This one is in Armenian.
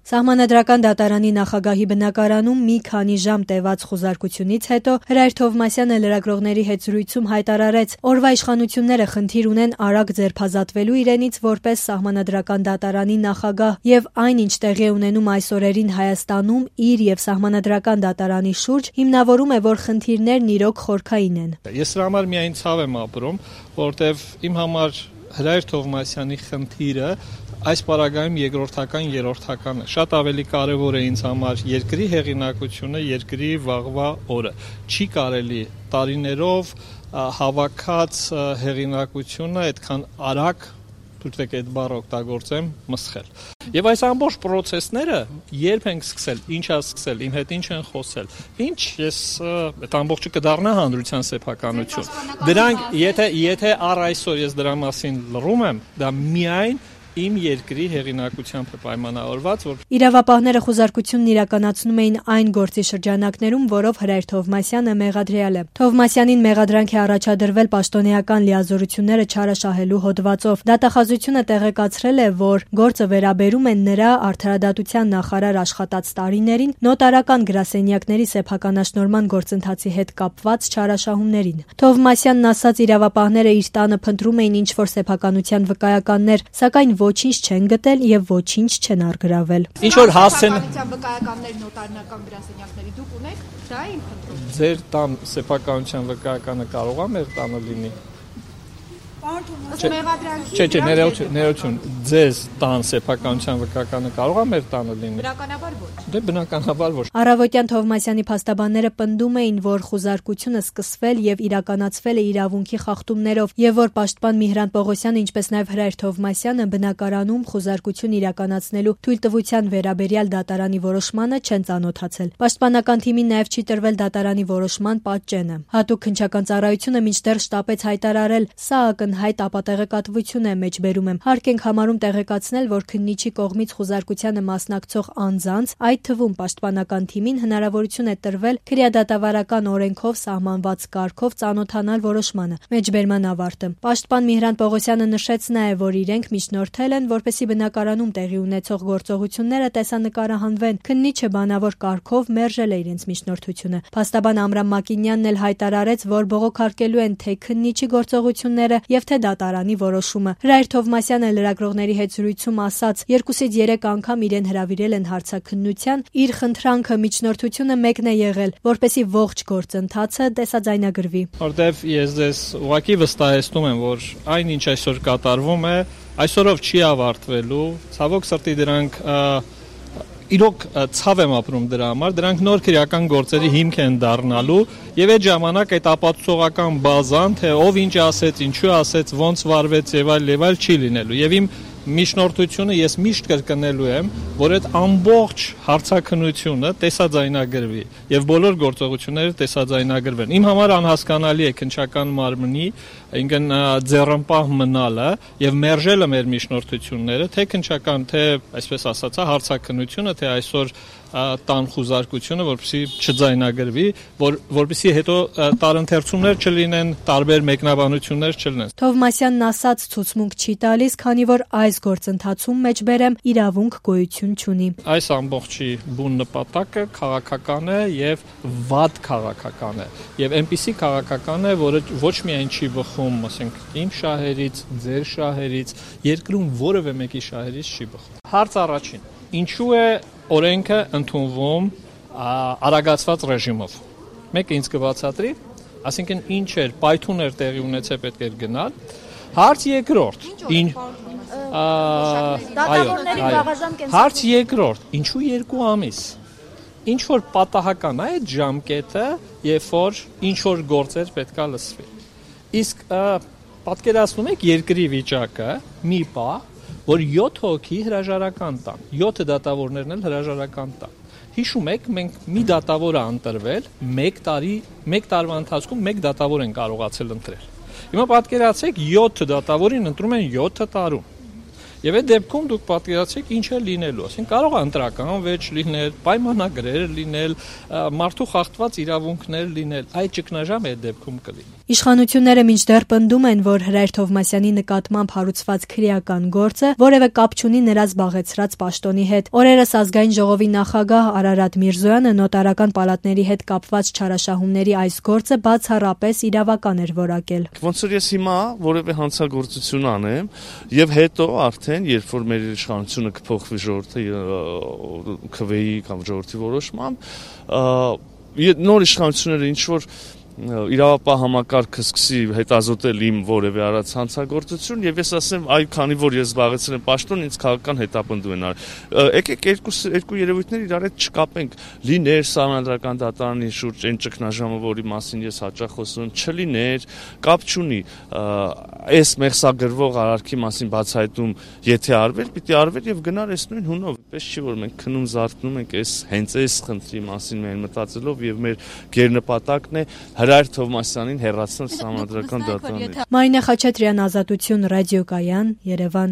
Սահմանադրական դատարանի նախագահի բնակարանում մի քանի ժամ տևած խուզարկությունից հետո Հրայր Թովմասյանը լրագրողների հետ զրույցում հայտարարեց, օրվա իշխանությունները խնդիր ունեն արագ ձերբազատվելու իրենից որպես Սահմանադրական դատարանի նախագահ եւ այն, ինչ տեղի է ունենում այս օրերին Հայաստանում իր եւ Սահմանադրական դատարանի շուրջ, հիմնավորում է, որ խնդիրներն իրոք խորքային են։ Ես դրա համար միայն ցավ եմ ապրում, որտեվ իմ համար Հրայր Թովմասյանի խնդիրը այս պարագայում երրորդական է։ Շատ ավելի կարևոր է ինձ համար երկրի հեղինակությունը, երկրի վաղվա օրը։ Չի կարելի տարիներով հավաքած հեղինակությունը այդքան արագ, թույլտեք այդ բառը օգտագործեմ, մսխել։ Եվ այս ամբողջ process-ները երբ ենք սկսել, ինչ է սկսել, իմ հետ ինչ են խոսել։ Ինչ ես այդ ամբողջը կդառնա հանրության սեփականություն։ Դրանք եթե առ այսօր ես դրա մասին լռում եմ, դա միայն իմ երկրի հեղինակությամբ է պայմանավորված, որ իրավապահները խուզարկությունն իրականացնում էին այն գործի շրջանակներում, որով Հրայր Թովմասյանը մեղադրյալ է։ Թովմասյանին մեղադրանք է առաջադրվել պաշտոնեական լիազորությունները չարաշահելու հոդվածով։ Դատախազությունը տեղեկացրել է, որ գործը վերաբերում է նրա արդարադատության նախարար աշխատած տարիներին նոտարական գրասենյակների սեփականաշնորհման գործընթացի հետ կապված չարաշահումներին։ Թովմասյանն ասաց, իրավապահները իր տանը փնտրում էին ինչ-որ սեփականության վկայականներ, սակայն ոչինչ չեն գտել եւ ոչինչ չեն առգրավել։ Ինչ որ հասցեն վկայականներ նոտարական գրասենյակների դուք ունեք, դա է իմ խնդրում։ Ձեր տան սեփականության վկայականը կարող է մեր տանը լինի։ Չէ, ներողություն, ձեզ տան սեփականության վկայականը կարող է մեր տանը լինի։ Բնականաբար ոչ։ Դե բնականաբար ոչ։ Առավոտյան Թովմասյանի փաստաբանները պնդում էին, որ խուզարկությունը սկսվել եւ իրականացվել է իրավունքի խախտումներով եւ որ պաշտպան Միհրան Պողոսյանը, ինչպես նաեւ Հրայր Թովմասյանը բնակարանում խուզարկություն իրականացնելու թույլտվության վերաբերյալ դատարանի որոշմանը չեն ծանոթացել։ Պաշտպանական թիմին նաեւ չի տրվել դատարանի որոշման պատճենը։ Հատուկ քննչական ծառայությունը մինչդեռ շտապեց հայտարարել, սա ակնհայտ ապատեղեկատվություն է մեջբերում եմ։ Հարկ ենք համարում տեղեկացնել, որ քննիչի կողմից խուզարկությանը մասնակցող անձանց, այդ թվում պաշտպանական թիմին հնարավորություն է տրվել քրեադատավարական օրենքով սահմանված կարգով ծանոթանալ որոշմանը։ Մեջբերման ավարտը։ Պաշտպան Միհրան Պողոսյանը նշեց նաև, որ իրենք միջնորդել են, որպեսզի բնակարանում տեղի ունեցող գործողությունները տեսանկարահանվեն։ Քննիչը բանավոր կարգով մերժել է իրենց միջնորդությունը։ Փաստաբան Ամրամ Մակինյանն էլ հայտարարեց, որ բողոքարկելու են թե քննիչի գործողությունները եւ թե դատարանի որոշումը։ Հրայր Թովմասյանը լրագրողների հետ զրույցում ասաց, 2-ից 3 անգամ իրեն հրավիրել են հարցաքննության, իր խնդրանքը միջնորդությունը մեկն է եղել, որպեսզի ողջ գործընթացը տեսաձայնագրվի։ Որտեվ ես ձեզ ուղղակի վստահեցնում եմ, որ այն ինչ այսօր կատարվում է, այսօրով չի ավարտվելու, ցավոք սրտի դրանք իրոք ցավ եմ ապրում դրա համար, դրանք նոր քրեական գործերի հիմք են դառնալու եւ այդ ժամանակ այդ ապացուցողական բազան, թե ով ինչ ասեց, ինչու ասեց, ոնց վարվեց եւ այլ չի լինելու։ Եվ իմ միջնորդությունը ես միշտ կրկնելու եմ, որ այդ ամբողջ հարցաքննությունը տեսաձայնագրվի եւ բոլոր գործողությունները տեսաձայնագրվեն։ Իմ համար անհասկանալի է քննչական մարմնի, ինքն ձեռնպահ մնալը եւ մերժելը մեր միջնորդությունները, թե քննչական, թե այսպես ասածա հարցաքննությունը, թե այսօր տան խուզարկությունը, որպեսզի չձայնագրվի, որպեսզի հետո տարընթերցումներ չլինեն, տարբեր մեկնաբանություններ չլինեն։ Թովմասյանն ասաց, ցուցմունք չի տալիս, քանի որ այս գործընթացում մեջբերեմ իրավունք գոյություն չունի։ Այս ամբողջի բուն նպատակը քաղաքական է եւ վատ քաղաքական է։ Եվ այնպիսի քաղաքական է, որը ոչ միայն չի բխում, ասենք, իմ շահերից, ձեր շահերից, երկրում որևէ մեկի շահերից չի բխում։ Հարց առաջին. ինչու է օրենքը ընդունվում արագացված ռեժիմով։ Մեկը ինձ կբացատրի, ասինքն ինչ էր, պայթուն էր տեղի ունեցել, պետք էր գնալ։ Հարց երկրորդ. Հարց երկրորդ. ինչու 2 ամիս։ Ինչ որ պատահական է այդ ժամկետը, երբ որ ինչ որ գործեր պետքա լսվի։ Իսկ պատկերացնում եք երկրի վիճակը, մի պահ, որ 7 հոգի հրաժարական տան, 7 դատավորներն էլ հրաժարական տան։ Հիշում եք, մենք մի դատավոր է ընտրվել, 1 տարվա ընթացքում 1 դատավոր են կարողացել ընտրել։ Հիմա պատկերացրեք 7 դատավորին ընտրում են 7 տարում։ Եվ այդ դեպքում դուք պատկերացրեք ինչ է լինելու, ասենք կարող է ընտրական վեճ լինել, պայմանագրեր լինել, մարդու խախտված իրավունքներ լինել, այդ ճգնաժամը այդ դեպքում կլինի։ Իշխանությունները մինչդեռ պնդում են, որ Հրայր Թովմասյանի նկատմամբ հարուցված քրեական գործը որևէ կապ չունի նրա զբաղեցրած պաշտոնի հետ։ Օրերս Ազգային ժողովի նախագահ Արարատ Միրզոյանը նոտարական պալատների հետ կապված չարաշահումների այս գործը բացառապես իրավական էր որակել։ Ոնց որ ես հիմա որևէ հանցագործություն անեմ եւ հետո արդեն երբ որ մեր իշխանությունը կփոխվի ժողովրդի քվեի կամ ժողովրդի որոշմամբ նոր իշխանությունները ինչ որ իրավապահ համակարգը սկսի հետազոտել իմ որևէ արած հանցագործություն եւ ես ասեմ այ քանի որ ես զբաղեցրել եմ պաշտոն ինձ քաղաքական հետապնդում են արել եկեք երկու երևույթներ իրար հետ չկապենք լիներ սահմանադրական դատարանի շուրջ այն ճգնաժամը որի մասին ես հաճախ խոսում եմ չլիներ կապ չունի այս մեղսագրվող արարքի մասին բացահայտում եթե արվեր պիտի արվեր եւ գնար այս նույն հունով պես չի որ մենք քնում զարթնում ենք հենց այս խնդրի մասին մենք մտածելով եւ մեր գերնպատակն է Հրայր Թովմասյանին հեռացնել սահմանադրական դատարանից։ Մարինե Խաչատրյան, Ազատություն, ռադիոկայան, Երևան։